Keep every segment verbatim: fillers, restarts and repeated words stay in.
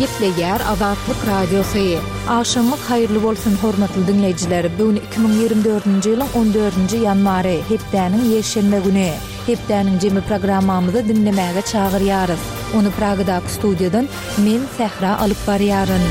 Gepleýär Azatlyk Radiosy. Agşamyňyz haýyrly bolsun, hormatly diňleýjiler. Bu gün iki müň ýigrimi dördünji ýylyň on dördünji ýanwary, hepdäniň ýekşenbe güni. Hepdäniň jemi programmamyzy diňlemäge çagyrýarys. Ony Pragadaky studiýadan men Sähra alyp barýaryn.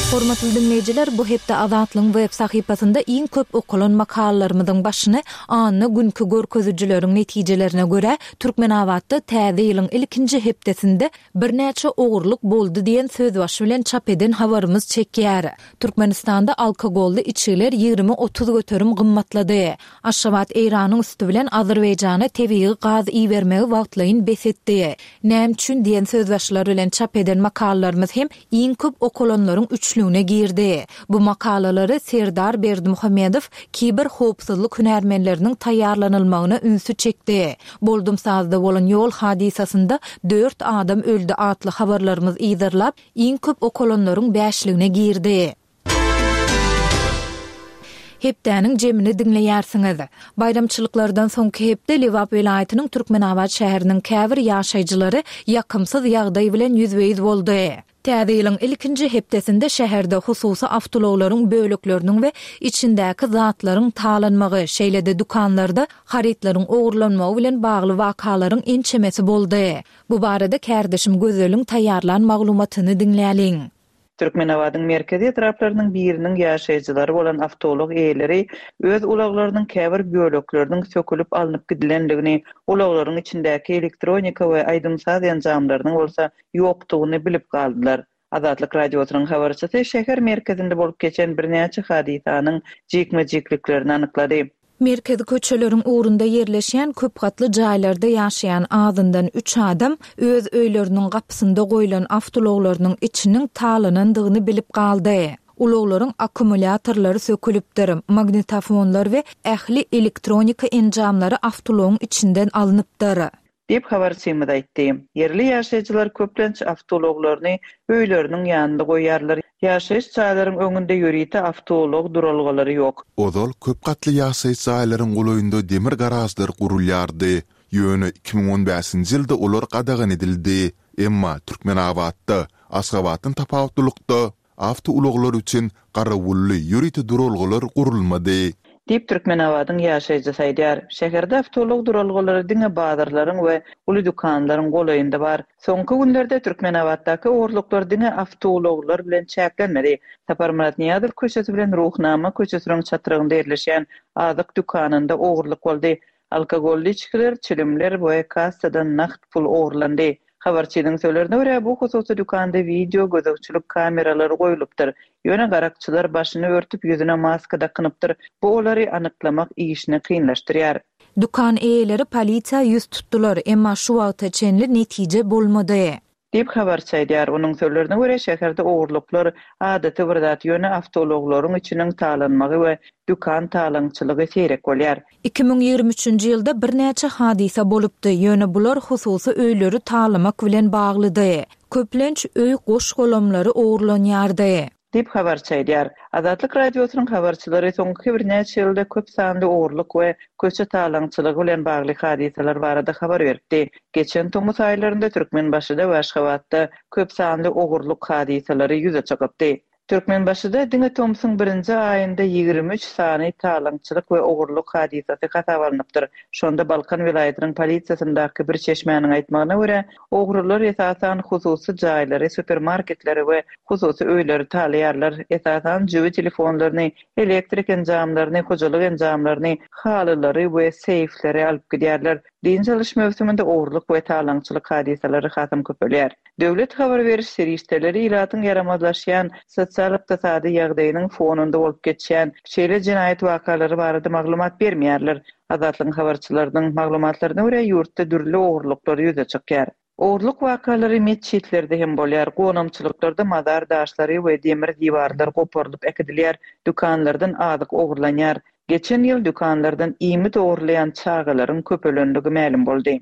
Hormatly diňleýjiler, bu hepde Azatlygyň web sahypasynda iň köp okalan makalalarymyzyň başyny anna günki görkezijileriň netijelerine görä Türkmenabatda täze ýylyň ilkinji hepdesinde birnäçe ogurlyk boldy diýen sözbaşy bilen çap eden habarymyz çekýär. Türkmenistanda alkogolly içgiler ýigrimi otuz göterim gymmatlady. Aşgabat Eýranyň üsti bilen Azerbaýjana tebigy gaz ibermegi wagtlaýyn bes etdi. Näme üçin diýen sözbaşylar bilen çap eden makalalarymyz hem iň köp okalanlaryň üçlügine girdi. Bu makalalary Serdar Berdimuhamedow kiber howpsuzlyk hünärmenleriniň taýýarlanylmagyna ünsi çekdi. Boldum sazda bolan ýol hadysasynda dört adam öldi atly habarlarymyz yzarlap, iň köp okalanlaryň bäşligine girdi. Hepdäniň jemini diňleýärsiňiz. Baýramçylyklardan soňky hepde Lebap welaýatynyň Türkmenabat şäheriniň käbir ýaşaýjylary ýakymsyz ýagdaý bilen ýüzbe-ýüz boldy. Täze ýylyň ilkinji hepdesinde şäherde hususy awtoulaglaryň bölekleriniň we içindäki zatlaryň talanmagy, şeýle-de dükanlarda harytlaryň ogurlanmagy bilen bagly wakalaryň ençemesi boldy. Bu barada kärdeşim Gözeliň taýýarlan maglumatyny diňläliň. Türkmenabadyň merkezi etraplarynyň biriniň ýaşaýjylary bolan awtoulag eýeleri öz ulaglarynyň käbir bölekleriniň sökülip alnyp gidilendigini, ulaglaryň içindäki elektronika we aýdym-saz enjamlarynyň bolsa ýokdugyny bilip galdylar. Azatlyk Radiosynyň habarçysy şäher merkezinde bolup geçen birnäçe hadysanyň jikme-jikliklerini anyklady. Merkezi köçeleriň ugrunda ýerleşýän köp gatly jaýlarda ýaşaýan azyndan üç adam öz öýleriniň gapysynda goýlan awtoulaglarynyň içiniň talanandygyny bilip galdy. Ulaglaryň akkumulýatorlary sökülipdir, magnitofonlar we ähli elektronika enjamlary awtoulagyň içinden alnypdyr. Diýip habarçymyz aýtdy. Ýerli ýaşaýjylar köplenç awtoulaglaryny öýleriniň ýanynda goýarlar. Ýaşaýyş jaýlaryň öňünde ýörite awtoulag duralgalary ýok. Ozal köp gatly ýaşaýyş jaýlaryň golaýynda demir garažlar gurulýardy. Ýöne iki müň on bäşinji ýylda olar gadagan edildi. Emma Türkmenabatda, Aşgabatdan tapawutlylykda awtoulaglar üçin garawully ýörite duralgalar gurulmady. Diýip Türkmenabadyň ýaşaýjysy aýdýar. Şäherde awtoulag duralgalary diňe bazarlaryň we uly dükanlaryň golaýynda bar. Soňky günlerde Türkmenabatdaky ogurlyklar diňe awtoulaglar bilen çäklenmedi. Saparmyrat Nyýazow köçesi bilen Ruhnama köçesiniň çatrygynda ýerleşýän azyk dükanynda ogurlyk boldy. Alkogolly içgiler, çilimler we kassadan nagt pul ogurlandy. Habarçynyň sözlerine görä, bu hususy dükanda video gözegçilik kameralary goýlupdyr. Ýöne garakçylar başyny örtüp ýüzüne maska dakynypdyr. Bu olary anyklamak işini kynlaşdyrýar. Dükan eýeleri polisiýa ýüz tutdular, emma şu wagta çenli netije bolmady. Diýip habarçy aýdýar. Onuň sözlerine görä, şäherde ogurlyklar adaty bir zat, ýöne awtoulaglaryň içiniň talanmagy we dükan talaňçylygy seýrek bolýar. Iki müň ýigrimi üçünji ýylda birnäçe hadysa bolupdy, ýöne bular hususy öýleri talamak bilen baglydy. Köplenç öý goş-golamlary ogurlanýardy. Diýip habarçy aýdýar. Azatlyk Radiosynyň habarçylary soňky birnäçe ýylda köp sanly ogurlyk we köçe talaňçylygy bilen bagly hadysalar barada habar beripdi. Geçen tomus aýlarynda Türkmenbaşyda we Aşgabatda köp sanly ogurlyk hadysalary ýüze çykypdy. Türkmenbaşyda diňe tomsuň birinji aýynda ýigrimi üç sany talaňçylyk we ogurlyk hadysasy hasap alnypdyr. Şonda Balkan welaýatynyň polisiýasyndaky bir çeşmäniň aýtmagyna görä, ogrular esasan hususy jaýlary, supermarketleri we hususy öýleri talaýarlar. Esasan jübi telefonlaryny, elektrik enjamlaryny, hojalyk enjamlaryny, halylary we seýfleri alyp gidýärler. Dynç alyş möwsüminde ogurlyk we talaňçylyk hadysalary hasam köpelýär. Döwlet habar beriş serişdeleri ilatyň ýaramazlaşýan sosial-ykdysady ýagdaýynyň fonunda bolup geçýän şeýle jenaýat wakalary barada maglumat bermeýärler. Azatlygyň habarçylarynyň maglumatlaryna görä, ýurtda dürli ogurlyklar ýüze çykýar. Ogurlyk wakalary metjitlerde hem bolýar. Gonamçylyklarda mazar daşlary we demir diwarlar goparylyp äkidilýär, dükanlardan azyk ogurlanýar. Geçen ýyl dükanlardan iýmit ogurlaýan çagalaryň köpelenligi mälim boldy.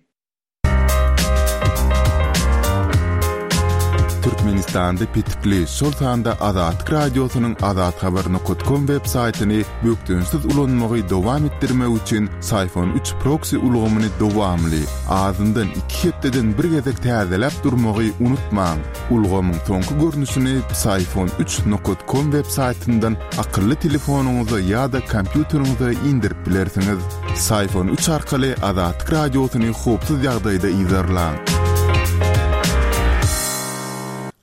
Türkmenistanda petikli, şol sanda Azatlyk Radiosynyň azathabar nokat kom web saýtyny bökdençsiz ulanmagy dowam etdirmek üçin Psiphon üç proksi ulgamyny dowamly, azyndan iki hepdeden bir gezek täzeläp durmagy unutmaň. Ulgamyň soňky görnüşini Psiphon üç nokat kom web saýtyndan akylly telefonyňyza ýa-da kompýuteriňize indirip bilersiňiz. Psiphon üç arkaly Azatlyk Radiosyny howpsuz ýagdaýda yzarlaň.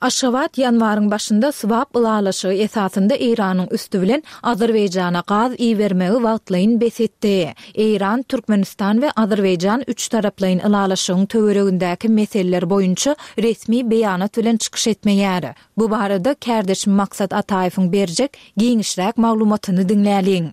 Aşgabat ýanwaryň başynda swap ylalaşygy esasynda Eýranyň üsti bilen Azerbaýjana gaz ibermegi wagtlaýyn bes etdi. Eýran, Türkmenistan we Azerbaýjan üç taraplaýyn ylalaşygyň töweregindäki meseleler boýunça resmi beýanat bilen çykyş etmeýär. Bu barada kärdeşim Maksat Ataýewiň berjek giňişräk maglumatyny diňläliň.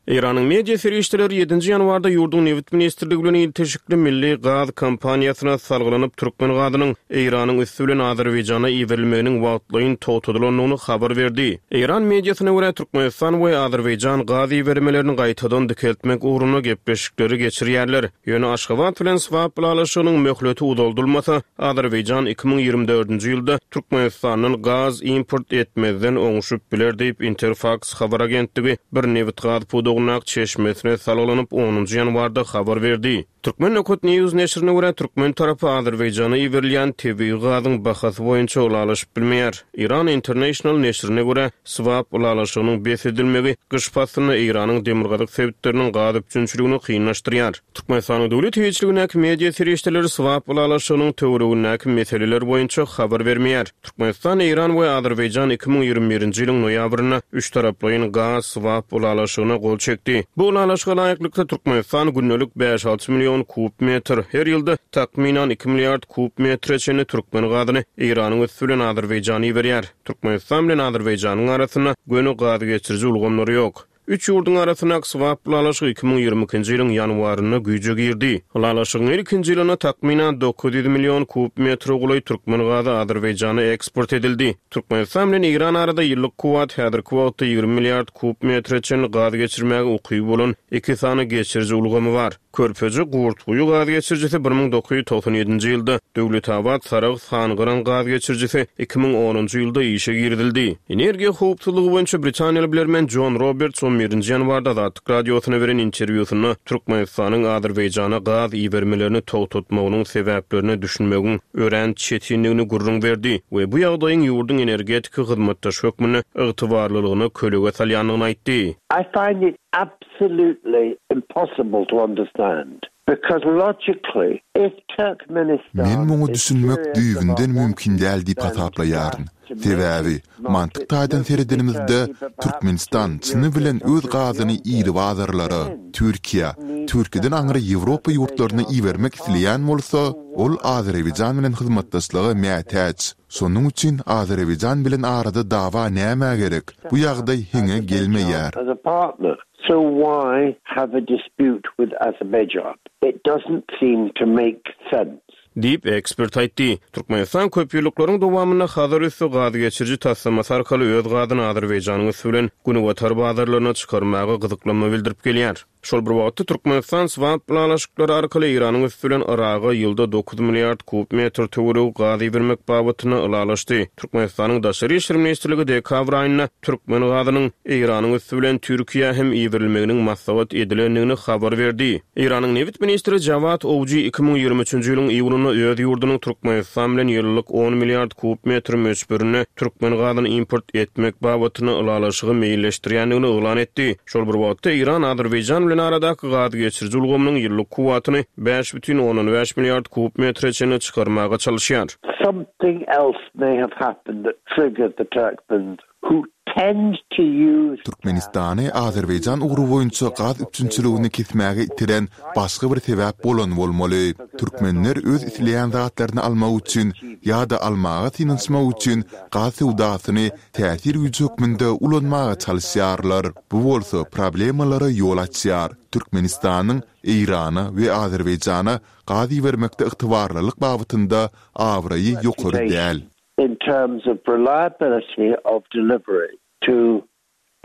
Eýranyň media serişdeleri ýedinji ýanwarda ýurduň nebit ministrligi bilen ilteşikli milli gaz kompaniýasyna salgylanyp türkmen gazynyň Eýranyň üsti bilen Azerbaýjana iberilmeginiň wagtlaýyn togtadylandygyny habar berdi. Eýran mediasyna görä Türkmenistan we Azerbaýjan gaz ibermelerini gaýtadan dikeltmek ugrunda gepleşikleri geçirýärler. Ýöne Aşgabat bilen swap ylalaşygynyň möhleti uzaldylmasa, Azerbaýjan iki müň ýigrimi dördünji ýylda Türkmenistandan gaz import etmezden oňşup biler diýip Interfax habar agentligi bir nebit gaz pudagyndaky çeşmesine salgylanyp onunjy ýanwarda habar berdi. Türkmen Nokat News neşirine görä türkmen tarapy Azerbaýjana iberilýän tebigy gazyň bahasy boýunça ylalaşyp bilmeýär. Iran International neşirine görä swap ylalaşygynyň bes edilmegi gyş paslynda Eýranyň demirgazyk sebitleriniň gaz üpjünçiligini kynlaşdyrýar. Türkmenistanyň döwlet eýeçiligindäki media serişdeleri swap ylalaşygynyň töweregindäki meseleler boýunça habar bermeýär. Türkmenistan, Eýran we Azerbaýjan iki müň ýigrimi birinji ýylyň noýabrynda üç taraplaýyn gaz swap ylalaşygyna gol çekdi. Bu ylalaşyga laýyklykda Türkmenistan gündelik bäş-alty million kub metr, her ýylda takmynan iki milliard kub metre çenli türkmen gazyny Eýranyň üsti bilen Azerbaýjana iberýär. Türkmenistan bilen Azerbaýjanyň arasynda göni gaz geçiriji ulgamlary ýok. Üç ýurduň arasyndaky swap ylalaşygy iki müň ýigrimi ikinji ýylyň ýanwarynda güýje girdi. Ylalaşygyň ilkinji ýylynda takmynan dokuz ýüz million kub metre golaý türkmen gazy Azerbaýjana eksport edildi. Türkmenistan bilen Eýran arada ýyllyk kuwwat häzirki wagtda ýigrimi milliard kub metre çenli gaz geçirmäge ukyby bolan iki sany geçiriji ulgamy bar. Körpeje Gurtguýy gaz geçirijisi bir müň dokuz ýüz togsan ýedinji ýylda, Döwletabat Sarahs Hangyran gaz geçirijisi iki müň onunjy ýylda işe girizildi. Energiýa howpsuzlygy boýunça Britaniýaly bilermen John Roberts on birinji ýanwarda Azatlyk Radiosyna beren interwýusynda Türkmenistanyň Azerbaýjana gaz ibermelerini togtatmagynyň sebäplerine düşünmegiň örän çetinligini gürrüň berdi we bu ýagdaýyň ýurduň energetika hyzmatdaşy hökmünde ygtybarlylygyna kölege salýandygyny aýtdy. I find it absolutely impossible to understand because logically if Turkmenistan Men muňa is düşünmek serious düýbünden about mümkin däl diýip wanting hasaplaýaryn. to make Sebäbi mantyk taýdan seredenimizde Türkmenistan çyny bilen öz gazyny iri bazarlara, Türkiýä, Türkiýeden aňry Ýewropa ýurtlaryna ibermek isleýän bolsa, ol Azerbaýjan bilen hyzmatdaşlyga mätäç. Şonuň üçin Azerbaýjan bilen arada dawa nämä gerek? Bu ýagdaý heňe gelmeýär. As a partner. So why have a dispute with Azerbaijan? It doesn't seem to make sense. Diýip ekspert aýtdy. Türkmenistan köp ýyllyklaryň dowamynda Hazar üsti gaz geçiriji taslamasy arkaly öz gazyny Azerbaýjanyň üsti bilen Günbatar bazarlaryna çykarmaga gyzyklanma bildirip gelýär. Şol bir wagtda Türkmenistan swap ylalaşyklary arkaly Eýranyň üsti bilen Yraga ýylda dokuz milliard kub metr töweregi gaz ibermek babatynda ylalaşdy. Türkmenistanyň Daşary işler ministrligi dekabr aýynda türkmen gazynyň Eýranyň üsti bilen Türkiýä hem iberilmeginiň maslahat edilendigini habar berdi. Eýranyň nebit ministri Jawad Owji iki müň ýigrimi üçünji ýylyň iýunynda öz ýurdunyň Türkmenistan bilen ýyllyk on milliard kub metr möçberinde türkmen gazyny import etmek babatynda ylalaşygy meýilleşdirýändigini yglan etdi. Şol bir wagtda Eýran Azerbaýjan bilen aradaky gaz geçiriji ulgamynyň ýyllyk kuwwatyny bäş bütin ondan bäş milliard kub metre çenli çykarmaga çalyşýar. Something else may have happened that triggered the Turkmens who tend to use Türkmenistany Azerbaýjan ugry boýunça gaz üpjünçiligini kesmäge itiren başga bir sebäp bolan bolmaly. Türkmenler öz isleýän zatlaryny almak üçin ýa-da almaga synanyşmak üçin gaz söwdasyny täsir güýji hökmünde ulanmaga çalyşýarlar. Bu bolsa problemalara ýol açýar. Türkmenistanyň Eýrana we Azerbaýjana gaz ibermekde ygtybarlylyk babatynda abraýy ýokary däl. In terms of reliability of delivery to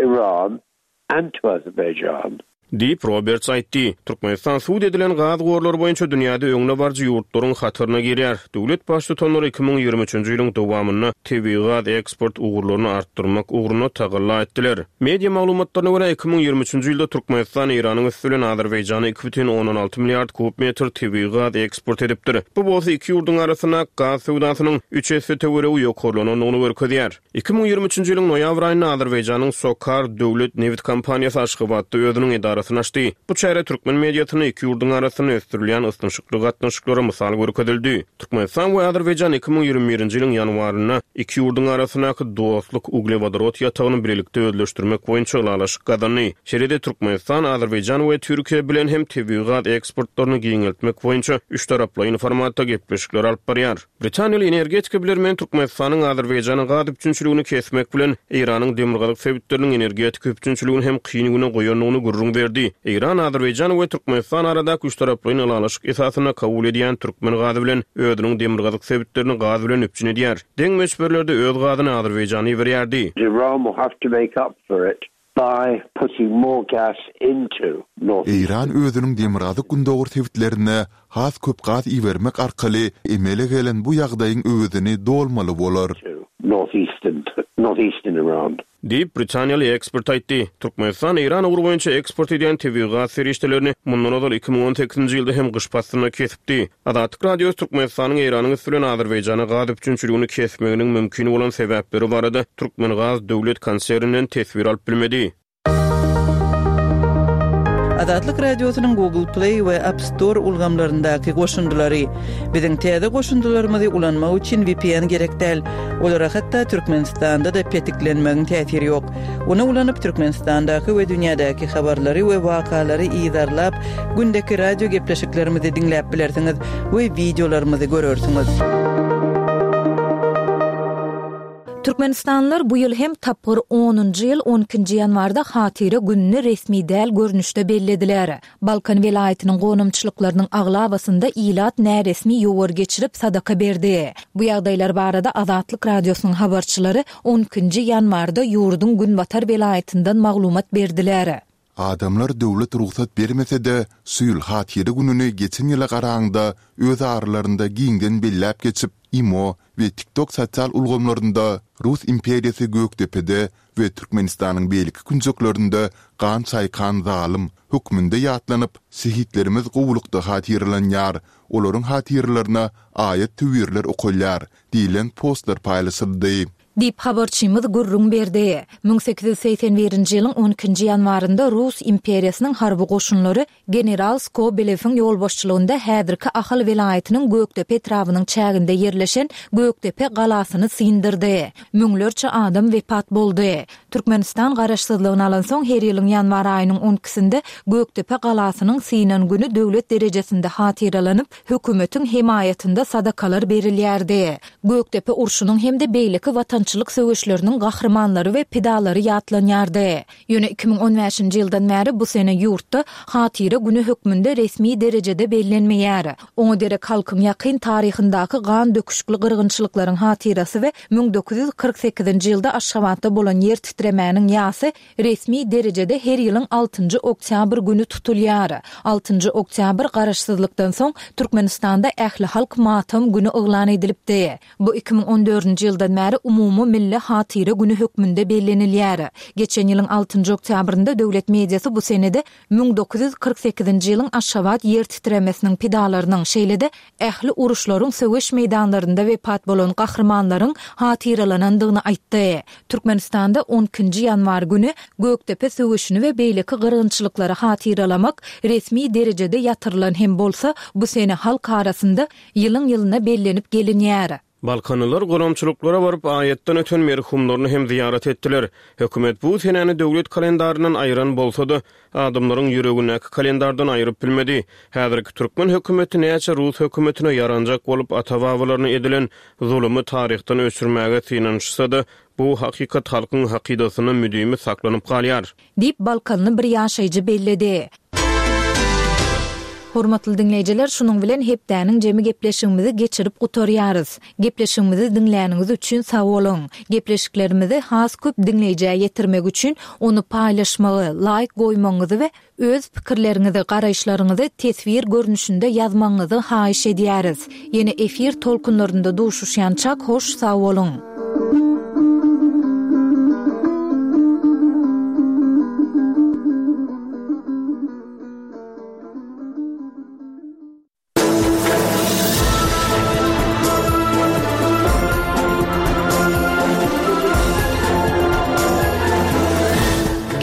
Iran and to Azerbaijan. Diýip, Roberts aýtdy. Türkmenistan subut edilen gaz gorlary boýunça dünýäde öňdebaryjy ýurtlaryň hataryna girýär. Döwlet baştutanlary iki müň ýigrimi üçünji ýylyň dowamynda tebigy gaz eksport ugurlaryny artdyrmak ugrunda tagalla etdiler. Media maglumatlaryna görä, iki müň ýigrimi üçünji ýylda Türkmenistan Eýranyň üsti bilen Azerbaýjana iki bütin ondan alty milliard kub metr tebigy gaz eksport edipdir. Bu bolsa iki ýurduň arasyndaky gaz söwdasynyň üç esse töweregi ýokarlanandygyny görkezýär. Iki müň ýigrimi üçünji ýylyň noýabr aýynda Azerbaýjanyň SOCAR döwlet nebit kompaniýasy Aşgabatda özüniň edarasyny açdy. Bu çäre türkmen mediasynda iki ýurduň arasynda ösdürilýän ysnyşykly gatnaşyklara mysal görkezildi. Türkmenistan we Azerbaýjan iki müň ýigrimi birinji ýylyň ýanwarynda iki ýurduň arasyndaky Dostluk uglewodorod ýatagyny bilelikde özleşdirmek boýunça ylalaşyk gazandy. Şeýle-de Türkmenistan, Azerbaýjan we Türkiýe bilen hem tebigy gaz eksportlaryny giňeltmek boýunça üçtaraplaýyn formatda gepleşikler alyp barýar. Britaniýaly energetika bilermeni Türkmenistanyň Azerbaýjana gaz üpjünçiligini kesmek bilen, Eýranyň demirgazyk sebitleriniň energetika üpjünçiligini hem kyn güne goýandygyny gürrüň berdi. Eýran, Azerbaýjan we Türkmenistan aradaky üçtaraplaýyn ylalaşyk esasynda kabul edýän türkmen gazy bilen özüniň demirgazyk sebitlerini gaz bilen üpjün edýär. Deň möçberlerde öz gazyny Azerbaýjana iberýärdi. Iran will have to make up for it by putting more gas into North Eýran özüniň demirgazyk-gündogar sebitlerine has köp gaz ibermek arkaly emele gelen bu ýagdaýyň öwezini dolmaly bolar. Northeastern, Northeastern Iran. Diýip, britaniýaly ekspert aýtdy. Türkmenistan Eýran ugry boýunça eksport edýän tebigy gaz serişdelerini mundan ozal iki müň on sekizinji ýylda hem gyş paslynda kesipdi. Azatlyk Radiosy Türkmenistanyň Eýranyň üsti bilen Azerbaýjana gaz üpjünçiligini kesmeginiň mümkin bolan sebäpleri barada Türkmengaz döwlet konserninden teswir alyp bilmedi. Azatlyk Radiosynyň Google Play we App Store ulgamlaryndaky goşundylary. Biziň täze goşundylarymyzy ulanmak üçin V P N gerek däl. Olara hatda Türkmenistanda-da petiklenmegiň täsiri ýok. Ony ulanyp Türkmenistandaky we dünýädäki habarlary we wakalary yzarlap, gündeki radio gepleşiklerimizi diňläp bilersiňiz we wideolarymyzy görersiňiz. Türkmenistanlylar bu ýyl hem tapgyr onunjy ýyl on ikinji ýanwarda Hatyra gününi resmi däl görnüşde bellediler. Balkan welaýatynyň gonamçylyklarynyň aglabasynda ilat näresmi ýowar geçirip sadaka berdi. Bu ýagdaýlar barada Azatlyk Radiosynyň habarçylary on ikinji ýanwarda ýurduň Günbatar welaýatyndan maglumat berdiler. Adamlar döwlet rugsat bermese-de, şu ýyl Hatyra gününi geçen ýyla garaňda öz aralarynda giňden belläp geçip, IMO we TikTok sosial ulgamlarynda Rus imperiýasy Gökdepede we Türkmenistanyň beýleki künjeklerinde gan çaýkan zalym hökmünde ýatlanyp, şehitlerimiz gowulykda hatyralanýar, olaryň hatyralaryna aýat töwirler okalýar diýlen postlar paýlaşyldy. Diýip habarçymyz gürrüň berdi. Müň sekiz ýüz segsen birinji ýylyň on ikinji ýanwarynda Rus imperiýasynyň harby goşunlary General Skobelewiň ýolbaşçylygynda häzirki Ahal welaýatynyň Gökdepe etrabynyň çäginde ýerleşen Gökdepe galasyny syndyrdy. Müňlerçe adam wepat boldy. Türkmenistan garaşsyzlygyny alan soň her ýylyň ýanwar aýynyň on ikisinde Gökdepe galasynyň synan günü döwlet derejesinde hatyralanyp, hökümetiň hemaýatynda sadakalar berilýärdi. Gökdepe urşunyň hem-de beýleki watançylyk söweşleriniň gahrymanlary we pidalary ýatlanýardy. Ýöne iki müň on bäşinji ýyldan bäri bu sene ýurtda Hatyra günü hökmünde resmi derejede bellenmeýär. Oňa derek halkyň ýakyn taryhyndaky gan döküşikli gyrgynçylyklaryň hatyrasy we müň dokuz ýüz kyrk sekizinji ýylda Aşgabatda bolan ýer titremäniň ýasy resmi derejede her ýylyň altynjy oktýabr günü tutulýar. Altynjy oktýabr garaşsyzlykdan soň Türkmenistanda ähli halk matam günü yglan edilipdi. Bu iki müň on dördünji ýyldan bäri umumy milli hatyra günü hökmünde bellenilýär. Geçen ýylyň altynjy oktýabrynda döwlet mediasy bu senede müň dokuz ýüz kyrk sekizinji ýylyň Aşgabat ýer titremesiniň pidalarynyň, şeýle-de ähli uruşlaryň söweş meýdanlarynda wepat bolan gahrymanlaryň hatyralanandygyny aýtdy. Türkmenistanda on ikinji ýanwar günü Gökdepe söweşini we beýleki gyrgynçylyklary hatyralamak resmi derejede ýatyrylan hem bolsa, bu sene halk arasynda ýylyň-ýylyna bellenip gelinýär. Balkanlylar gonamçylyklara baryp aýatdan öten merhumlaryny hem ziýaret etdiler. Hökümet bu senäni döwlet kalendaryndan aýran bolsa-da, adamlaryň ýüregindäki kalendardan aýryp bilmedi. Häzirki türkmen hökümeti näçe Rus hökümetine ýaranjak bolup ata-babalaryna edilen zulumy taryhdan öçürmäge synanyşsa-da, bu hakykat halkyň hakydasynda müdimi saklanyp galýar. Diýip Balkanly bir ýaşaýjy belledi. Hormatly diňleýjiler, şunuň bilen hepdäniň jemi gepleşigimizi geçirip gutarýarys. Gepleşigimizi diňläniňiz üçin sag boluň. Gepleşiklerimizi has köp diňleýjä ýetirmek üçin ony paýlaşmagy, laýk goýmagyňyzy we öz pikirleriňizi, garaýyşlaryňyzy teswir görnüşinde ýazmagyňyzy haýyş edýäris. Ýene efir tolkunlarynda duşuşýançak hoş sag boluň.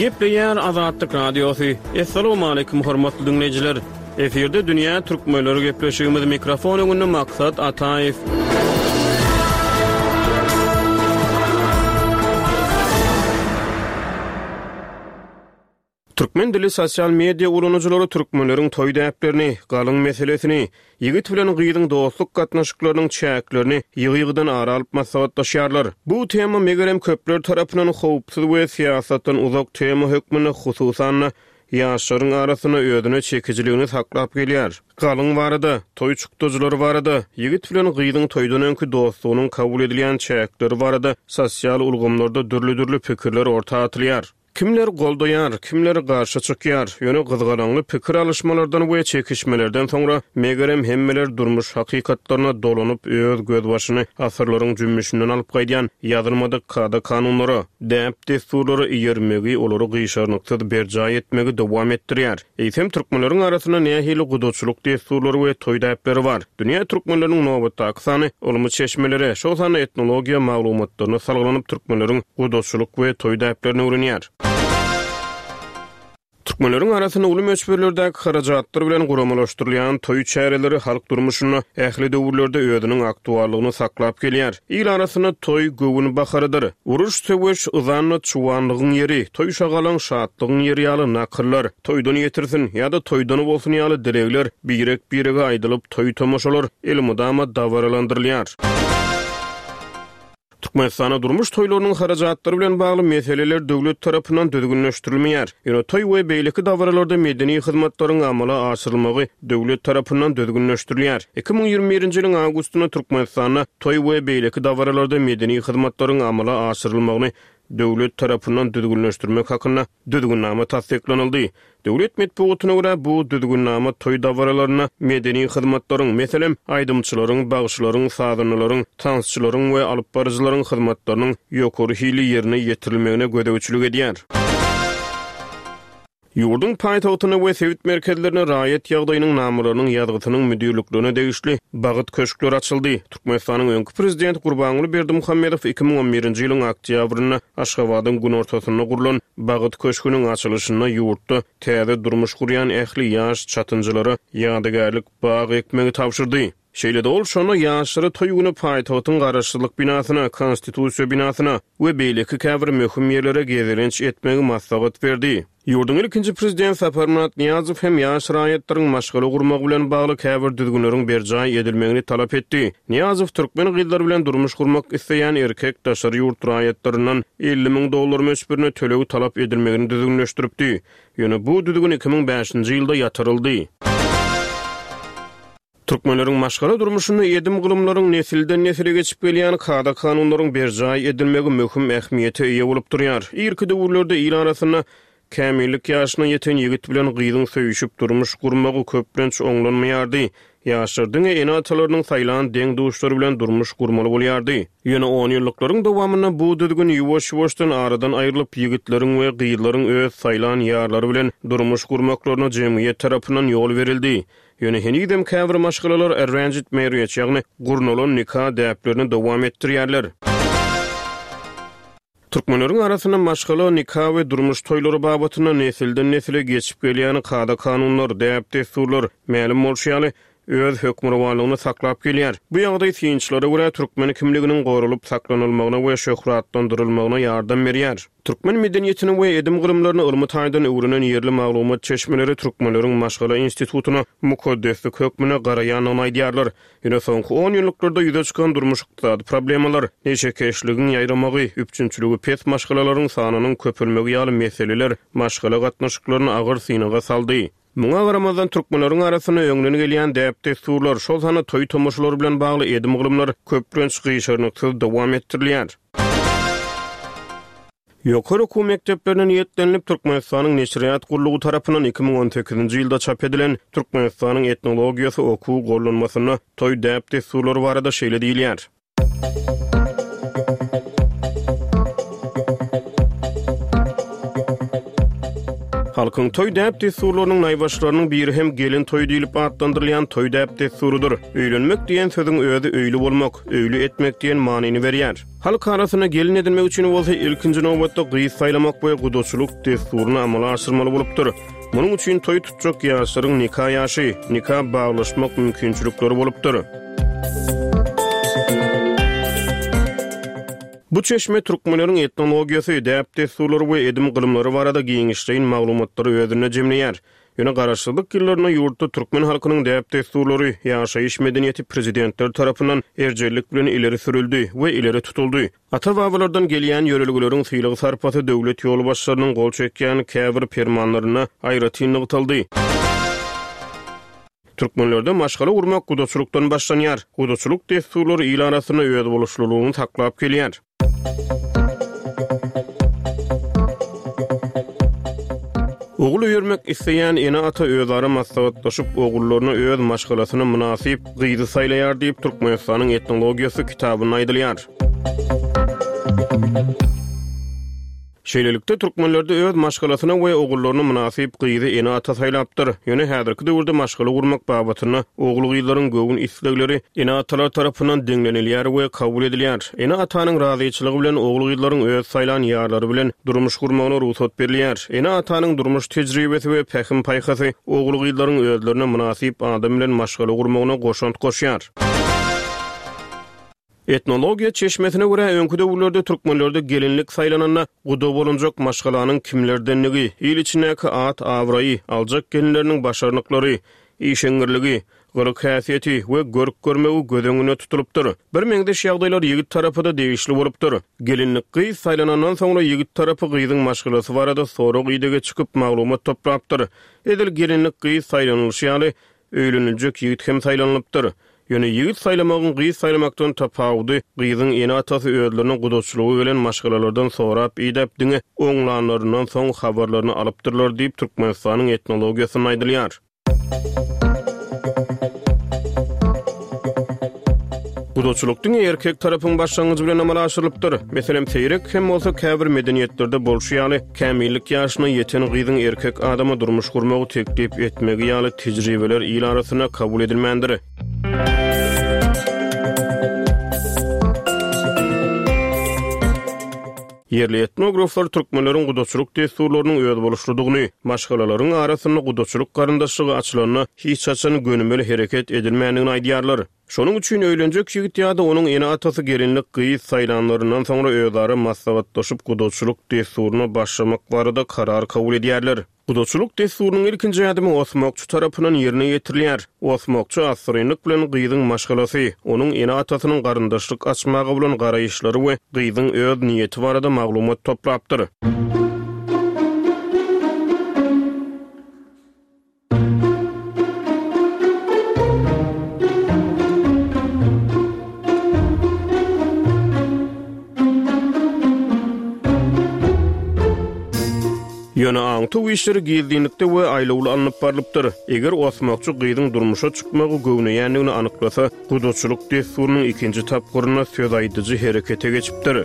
Gepleýär Azatlyk Radiosy. Assalamualaikum hormatly dinleýjiler. Efirde Dünýä Türkmenleri gepleşigimiz mikrofon öňünde Maksat Ataýew. Türkmen dili sosial media ulanyjylary türkmenleriň toý däplerini, galyň meselesini, ýigit bilen gyzyň dostluk gatnaşyklarynyň çäklerini ýygy-ýygydan ara alyp maslahatlaşýarlar. Bu tema megerem köpler tarapyndan howpsuz we syýasatdan uzak tema hökmünde hususan ýaşlaryň arasynda özüne çekijiligini saklap gelýär. Galyň barada, toý çykdajylary barada, ýigit bilen gyzyň toýdan öňki dostlugynyň kabul edilýän çäkleri barada sosial ulgamlarda dürli-dürli pikirler orta atylýar. Kimler goldaýar, kimler garşy çykýar. Ýöne gyzgalaňly pikir alyşmalardan we çekişmelerden soňra megerem hemmeler durmuş hakykatlaryna dolanyp öz gözbaşyny asyrlaryň jümmüşinden alyp gaýdýan ýazylmadyk kada kanunlara, däp dessurlara eýermegi, olary gyşarnyksyz berjaý etmegi dowam etdirýär. Eýsem türkmenleriň arasynda nähili gudaçylyk dessurlary we toý däpleri bar? Dünýä türkmenleriniň nobatdaky sany ylmy çeşmelere, şol sanda etnologiýa maglumatlaryna salgylanyp türkmenleriň gudaçylyk we toý däplerini öwrenýär. Türkmenleriň arasynda uly möçberlerdäki harajatlar bilen guramalaşdyrylýan toý çäreleri halk durmuşynda ähli döwürlerde özüniň aktuallygyny saklap gelýär. Il arasynda toý göwün baharydyr. Uruş, söweş, yzanla çuwanlygyň ýeri, toý şagalaň şatlygyň ýeri ýaly nakyllar, toýdan ýetirsin ýa-da toýdan bolsun ýaly dilegler birek-birege aýdylyp toý tomaşalar elmydama dabaralandyrylýar. Türkmenistanda durmuş toýlarynyň harajatlary bilen bagly meseleler döwlet tarapyndan düzgünleşdirilmeýär. Ýöne toý we beýleki dabaralarda medeni hyzmatlaryň amala aşyrylmagy döwlet tarapyndan düzgünleşdirilýär. iki müň ýigrimi birinji ýylyň awgustynda Türkmenistanda toý we beýleki dabaralarda medeni hyzmatlaryň amala aşyrylmagyny döwlet tarapyndan düzgünleşdirmek hakynda düzgünnama tassyklanyldy. Döwlet metbugatyna görä bu düzgünnama toý dabaralaryna medeni hyzmatlaryň, meselem, aýdymçylaryň, bagşylaryň, sazanalaryň, tansçylaryň we alyp baryjylaryň hyzmatlarynyň ýokary hili ýerine ýetirilmegine gözegçilik edýär. Ýurduň paýtagtyna we sebit merkezlerine raýat ýagdaýynyň namalarynyň ýazgysynyň müdirliklerine degişli Bagyt köşkleri açyldy. Türkmenistanyň öňki prezidenti Gurbanguly Berdimuhamedow iki müň on birinji ýylyň oktýabrynda Aşgabadyň günortasynda gurlan Bagyt köşgüniň açylyşynda ýurtda täze durmuş gurýan ähli ýaş çatynjylara ýadygärlik bag ekmegi tabşyrdy. Şeýle-de ol şonda ýaşlary toý güni paýtagtyň garaşsyzlyk binasyna, konstitusiýa binasyna we beýleki käbir möhüm ýerlere gezelenç etmegi maslahat berdi. Ýurduň ilkinji prezident Saparmyrat Nyýazow hem ýaş raýatlaryň maşgala gurmagy bilen bagly käbir düzgünleriň berjaý edilmegini talap etdi. Nyýazow türkmen gyzlary bilen durmuş gurmak isleýän erkek daşary ýurt raýatlaryndan elli müň dollar möçberine töleg talap edilmegini düzgünleşdiripdi. Ýöne bu düzgün iki müň bäşinji ýylda ýatyryldy. Türkmenleriň maşgala durmuşynda edim gylymlaryň nesilden nesile geçip gelýän kada kanunlaryň berjaý edilmegi möhüm ähmiýete eýe bolup durýar. Irki döwürlerde il arasynda kämillik ýaşyna ýeten ýigit bilen gyzyň söýüşip durmuş gurmagy köplenç oňlanmaýardy. Ýaşlar diňe ene-atalarynyň saýlan deň duşlary bilen durmuş gurmaly bolýardy. Ýöne on ýyllyklaryň dowamynda bu düzgün ýuwaş-ýuwaşdan aradan aýrylyp, ýigitleriň we gyzlaryň öz saýlan ýarlary bilen durmuş gurmaklaryna jemgyýet tarapyndan ýol berildi. Ýöne henizem käbir maşgalalar arranged marriage, ýagny gurnalan nika däplerini dowam etdirýärler. Türkmenleriň arasynda maşgala, nika we durmuş toýlary babatynda nesilden nesile geçip gelýän kada kanunlar, däp dessurlar mälim bolşy ýaly öz hökmürowanlygyny saklap gelýär. Bu ýagdaý synçylara görä türkmen kimliginiň goralyp saklanylmagyna we şöhratlandyrylmagyna ýardam berýär. Türkmen medeniýetini we edim gylymlaryny ylmy taýdan öwrenen ýerli maglumat çeşmeleri türkmenleriň maşgala institutyna mukaddeslik hökmünde garaýandygyny aýdýarlar. Ýöne soňky on ýyllyklarda ýüze çykan durmuş ykdysady problemalar, neşekeşligiň ýaýramagy, üpjünçiligi pes maşgalalaryň sanynyň köpelmegi ýaly meseleler maşgala gatnaşyklaryny agyr synaga saldy. Muňa garamazdan, türkmenleriň arasynda öňden gelýän däp-dessurlar, şol sanda toý-tomaşalar bilen bagly edim-gylymlar köplenç gyşarnyksyz dowam etdirilýär. Ýokary okuw mekdeplerine niýetlenilip, Türkmenistanyň Neşirýat gullugy tarapyndan iki müň on sekizinji ýylda çap edilen Türkmenistanyň etnologiýasy okuw gollanmasynda toý däp-dessurlary barada şeýle diýilýär. Halkyň toý däp-dessurlarynyň naýbaşylarynyň biri hem gelin toýy diýlip atlandyrylýan toý däp-dessurydyr. Öýlenmek diýen sözüň özi öýli bolmak, öýli etmek diýen manyny berýär. Halk arasynda gelin edinmek üçin bolsa ilkinji nobatda gyz saýlamak we gudaçylyk dessuryny amala aşyrmaly bolupdyr. Munuň üçin toý tutjak ýaşlaryň nika ýaşy, nika baglaşmak mümkinçilikleri bolupdyr. Bu çeşme türkmenleriň etnologiýasy, däp-dessurlary we edim-gylymlary barada giňişleýin maglumatlary özünde jemleýär. Ýöne garaşsyzlyk ýyllarynda ýurtda türkmen halkynyň däp-dessurlary, ýaşaýyş medeniýeti prezidentler tarapyndan erjellik bilen ileri sürüldi we ileri tutuldy. Ata-babalardan gelýän ýörelgeleriň sylag-sarpasy döwlet ýolbaşçylarynyň gol çekýän käbir permanlarynda aýratyn nygtaldy. Türkmenlerde maşgala gurmak gudaçylykdan başlanýar. Gudaçylyk dessurlary il arasynda özboluşlylygyny saklap gelýär. Ogul öýermek isleýän ene-ata özara maslahatlaşyp, ogullaryna öz maşgalasyna mynasyp gyzy saýlaýar diýip, Türkmenistanyň etnologiýasy kitabynda aýdylýar. Şeýlelikde, türkmenlerde öz maşgalasyna we ogullaryna mynasyp gyzy ene-ata saýlapdyr. Ýöne häzirki döwürde maşgala gurmak babatynda ogul-gyzlaryň göwün islegleri ene-atalar tarapyndan deňlenilýär we kabul edilýär. Ene-atanyň razyçylygy bilen ogul-gyzlaryň öz saýlan ýarlary bilen durmuş gurmagyna rugsat berilýär. Ene-atanyň durmuş tejribesi we pähim-paýhasy ogul-gyzlaryň özlerine mynasyp adam bilen maşgala gurmagyna goşant goşýar. Etnologiýa çeşmesine görä, öňki döwürlerde türkmenlerde gelinlik saýlananda guda bolunjak maşgalanyň kimlerdenligi, il içindäki at-abraýy, aljak gelinleriniň başarnyklary, işeňňirligi, gylyk-häsiýeti we görk-görmegi göz öňünde tutulypdyr. Bir meňzeş ýagdaýlar ýigit tarapy-da degişli bolupdyr. Gelinlik gyz saýlanandan soňra ýigit tarapy gyzyň maşgalasy barada sorag-idege çykyp maglumat toplapdyr. Edil gelinlik gyz saýlanylyşy ýaly, öýleniljek ýigit hem saýlanylypdyr. Ýöne ýigit saýlamagyň gyz saýlamakdan tapawudy gyzyň ene-atasy özlerine gudaçylyga gelen maşgalalardan sorap-idäp diňe oňlanlaryndan soň habarlaryny alypdyrlar diýip Türkmenistanyň etnologiýasynda aýdylýar. Gudaçylyk diňe erkek tarapyň başlangyjy bilen amala aşyrylypdyr. Meselem, seýrek hem bolsa käbir medeniýetlerde bolşy ýaly, kämillik ýaşyna ýeten gyzyň erkek adama durmuş gurmagy teklip etmegi ýaly tejribeler il arasynda kabul edilmändir. Ýerli etnograflar türkmenleriň gudaçylyk dessurlarynyň özboluşlydygyny, maşgalalaryň arasynda gudaçylyk garyndaşlygy açylanda hiç haçan gönümel hereket edilmändigini aýdýarlar. Şonuň üçin öýlenjek ýigit ýa-da onuň ene-atasy gelinlik gyz saýlanlaryndan soňra özara maslahatlaşyp gudaçylyk dessuryna başlamak barada karar kabul edýärler. Gudaçylyk dessurynyň ilkinji ädimi osmakçy tarapyndan ýerine ýetirilýär. Osmakçy assyrynlyk bilen gyzyň maşgalasy, onuň ene-atasynyň garyndaşlyk açmaga bolan garaýyşlary we gyzyň öz niýeti barada maglumat toplapdyr. Ýöne aňtaw işleri gizlinlikde we aýlawly alnyp barlypdyr. Eger osmakçy gyzyň durmuşa çykmagy göwneýändigini anyklasa, gudaçylyk dessurynyň ikinji tapgyrynda söz aýdyjy herekete geçipdir.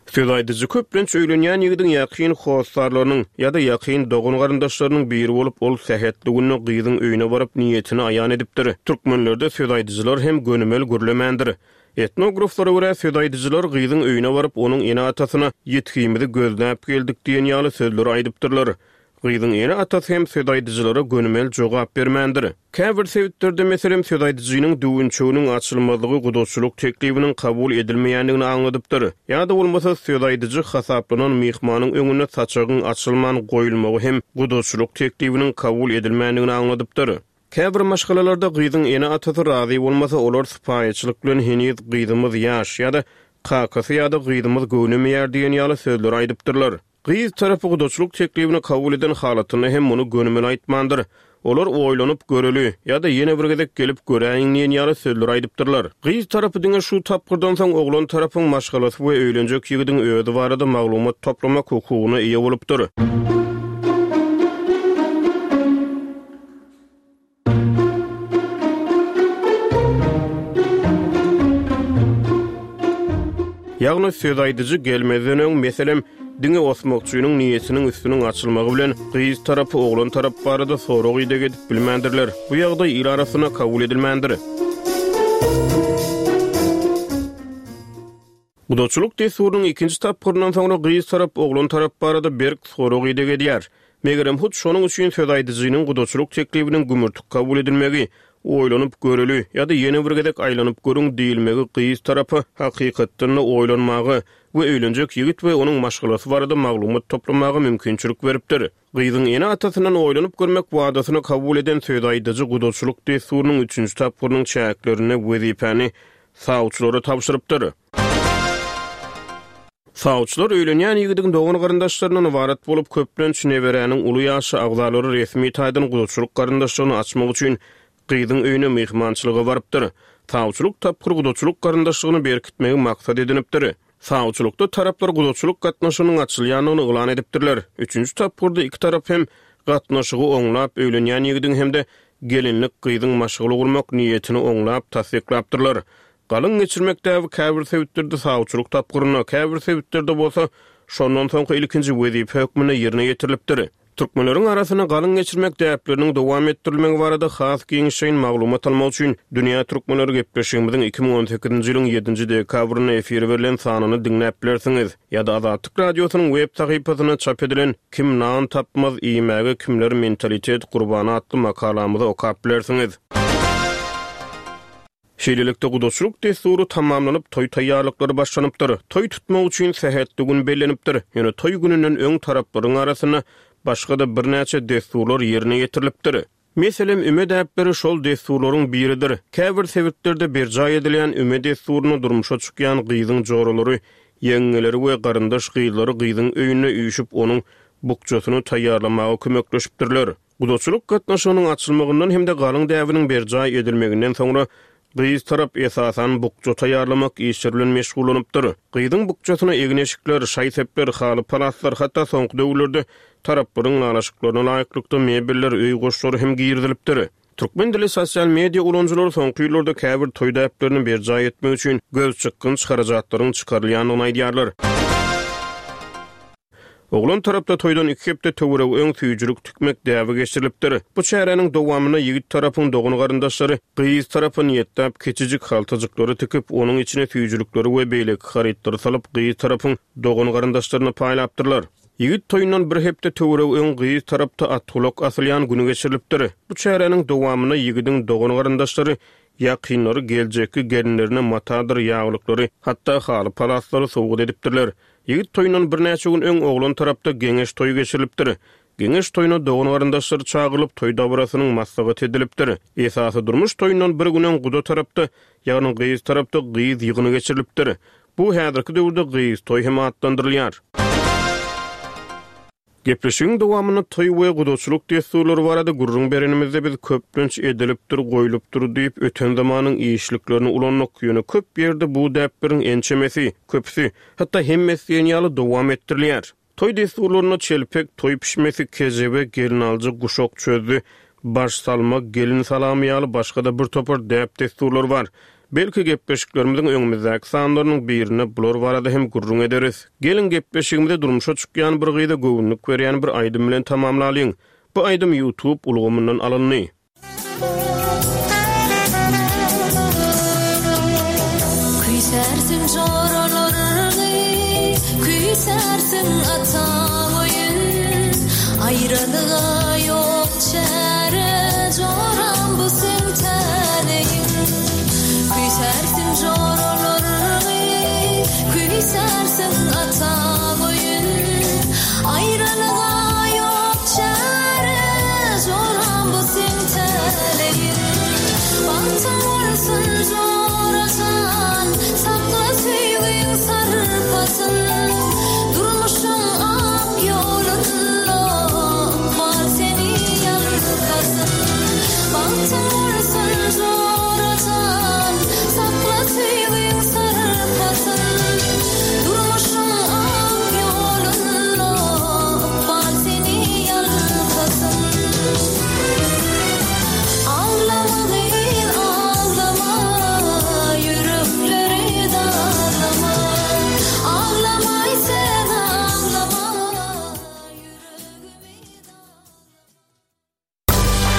Söz aýdyjy köplenç öýlenýän ýigidiň ýakyn hossarlarynyň ýa-da ýakyn dogan garyndaşlarynyň biri bolup, ol sähetli günde gyzyň öýüne baryp niýetini aýan edipdir. Türkmenlerde söz aýdyjylar hem gönümel gürlemändir. Etnograflara görä söz aýdyjylar gyzyň öýüne baryp, onuň ene-atasyna ýetgimizi gözläp geldik diýen ýaly sözleri aýdypdyrlar. Gyzyň ene-atasy hem söz aýdyjylara gönümel jogap bermändir. Käbir sebitlerde meselem söz aýdyjynyň düwünçeginiň açylmazlygy gudaçylyk teklibiniň kabul edilmeýändigini aňladypdyr. Ýa-da bolmasa söz aýdyjy hasaplanan myhmanyň öňünde saçagyň açylman goýulmagy hem gudaçylyk teklibiniň kabul edilmändigini aňladypdyr. Käbir maşgalalarda gyzyň ene-atasy razy bolmasa, olar sypaýyçylyk bilen heniz gyzymyz ýaş ýa-da kakasy ýa-da gyzymyz göwnemeýär diýen ýaly sözleri aýdypdyrlar. Gyz tarapy gudaçylyk teklibini kabul eden halatynda hem muny gönümel aýtmandyr. Olar oýlanyp göreli ýa-da ýene bir gezek gelip göräýiň diýen ýaly sözler aýdypdyrlar. Gyz tarapy diňe şu tapgyrdan soň oglan tarapyň maşgalasy we öýlenjek ýigidiň özi barada maglumat toplamak hukugyna eýe bolupdyr. Ýagny söz aýdyjy gelmezden öň, meselem, diňe osmakçynyň niýetiniň üstüniň açylmagy bilen gyz tarapy oglan tarap barada sorag ideg edip bilmändirler. Bu ýagdaý il arasynda kabul edilmändir. Gudaçylyk dessurynyň ikinji tapgyryndan soňra gyz tarap oglan tarap barada berk sorag ideg edýär. Megerem hut şonuň üçin söz aýdyjynyň gudaçylyk teklibiniň gümürtik kabul edilmegi, oýlanyp göreli ýa-da ýene bir gezek aýlanyp görüň diýilmegi gyz tarapa hakykatdan-da oýlanmaga we öýlenjek ýigit we onuň maşgalasy barada maglumat toplamaga mümkinçilik beripdir. Gyzyň ene-atasyndan oýlanyp görmek wadasyny kabul eden söz aýdyjy gudaçylyk dessurynyň üçünji tapgyrynyň çäklerinde wezipäni sawçylara tabşyrypdyr. Sawçylar öýlenýän ýigidiň dogan garyndaşlaryndan ybarat bolup, köplenç neberäniň uly ýaşy agzalary resmi taýdan gudaçylyk garyndaşlygyny açmak üçin gyzyň öýüne myhmançylyga barypdyr. Sawçylyk tapgyr gudaçylyk garyndaşlygyny berkitmegi maksat edinipdir. Sawçylykda taraplar gudaçylyk gatnaşygynyň açylýandygyny yglan edipdirler. Üçünji tapgyrda iki tarap hem gatnaşygy oňlap öýlenýän ýigidiň hem-de gelinlik gyzyň maşgala gurmak niýetini oňlap tassyklapdyrlar. Galyň geçirmek däbi käbir sebitlerde sawçylyk tapgyrynda, käbir sebitlerde bolsa şondan soňky ilkinji wezipe hökmünde ýerine ýetirilipdir. Türkmenleriň arasynda galyň geçirmek däpleriniň dowam etdirilmegi barada has giňişleýin maglumat almak üçin Dünýä Türkmenleri gepleşigimiziň iki müň on sekizinji ýylyň ýedinji dekabrynda efire berlen sanyny diňläp bilersiňiz. Ýa-da Azatlyk Radiosynyň web sahypasynda çap edilen Kim nan tapmaz iýmäge kimler mentalitet gurbany atly makalamyzy okap bilersiňiz. Şeýlelikde gudaçylyk dessury tamamlanyp, toý taýýarlyklary başlanypdyr. Toý tutmak üçin sähetli gün bellenipdir. Ýöne toý gününden öň taraplaryň arasynda başga-da birnäçe dessurlar ýerine ýetirilipdir. Meselem, üme däpleri şol dessurlaryň biridir. Käbir sebitlerde berjaý edilýän üme dessuryna durmuşa çykýan gyzyň joralary, ýeňňeleri we garyndaş gyzlary gyzyň öýünde üýşüp, onuň bukjasyny taýýarlamaga kömekleşipdirler. Gudaçylyk gatnaşygynyň açylmagyndan hem-de galyň däbiniň berjaý edilmeginden soňra gyz tarap esasan bukja taýýarlamak işleri bilen meşgullanypdyr. Gyzyň bukjasyna egin-eşikler, şaý-sepler, haly-palaslar, hatda soňky döwürlerde taraplaryň lalaşyklaryna laýyklykda mebeller, öý goşlary hem girizilipdir. Türkmen dili sosial media ulanyjylary soňky ýyllarda käbir toý däplerini berjaý etmek üçin göz çykgynç harajatlaryň çykarylýandygyny aýdýarlar. Oglan tarapda toýdan iki hepde töweregi öň süýjülik tikmek däbi geçirilipdir. Bu çäräniň dowamynda ýigit tarapyň dogan garyndaşlary gyz tarapy niýetläp kiçijik haltajyklary tikip, onuň içine süýjülikleri we beýleki harytlary salyp, gyz tarapyň dogan garyndaşlaryna paýlapdyrlar. Ýigit toýundan bir hepde töweregi öň gyz tarapda atgulak asylýan günü geçirilipdir. Bu çäräniň dowamynda ýigidiň dogan garyndaşlary ýakynlary geljekki gelinlerine matadyr ýaglyklary, hatda haly palaslary sowgat edipdirler. Ýigit toýundan birnäçe gün öň oglan tarapda geňeş toýy geçirilipdir. Geňeş toýuna dogan garyndaşlary çagyrylyp, toý dabarasynyň maslahat edilipdir. Esasy durmuş toýundan bir gün öň guda tarapda, ýagny gyz tarapda gyz ýygyny geçirilipdir. Bu häzirki döwürde gyz toý hem atlandyrylýar. Gepleşigiň dowamynda toý we gudaçylyk dessurlary barada gürrüň berenimizde biz köplenç edilipdir, goýlupdyr diýip öten zamanyň işliklerini ulandyk. Ýöne köp ýerde bu däpleriň ençemesi, köpüsi, hatda hemmesi diýen ýaly dowam etdirilýär. Toý dessurlarynda çelpek, toý pişmesi, kejebe, gelin alyjy, guşak çözdü, baş salma, gelin salamy ýaly başga-da bir topar däp dessurlar bar. Belki gepleşiklerimiziň öňümizdäki sanlarynyň birinde bular barada hem gürrüň ederis. Gelin gepleşigimize durmuşa çykýan bir gyza göwünlik berýän bir aýdym bilen tamamlalyň. Bu aýdym YouTube ulgamyndan alyndy. Küýsersiň joralaryny, küýsersiň ata oýun. Aýralyga ýok çäre, joram bu seň täleýiň. Küýsersiň joralaryny, küýsersiň ata oýun. Aýralyga ýok çäre, joram bu seň täleýiň. Bagtyň bolsun jorajan, sakla söýgüň sarpasyn. Durmuşyň ak Ata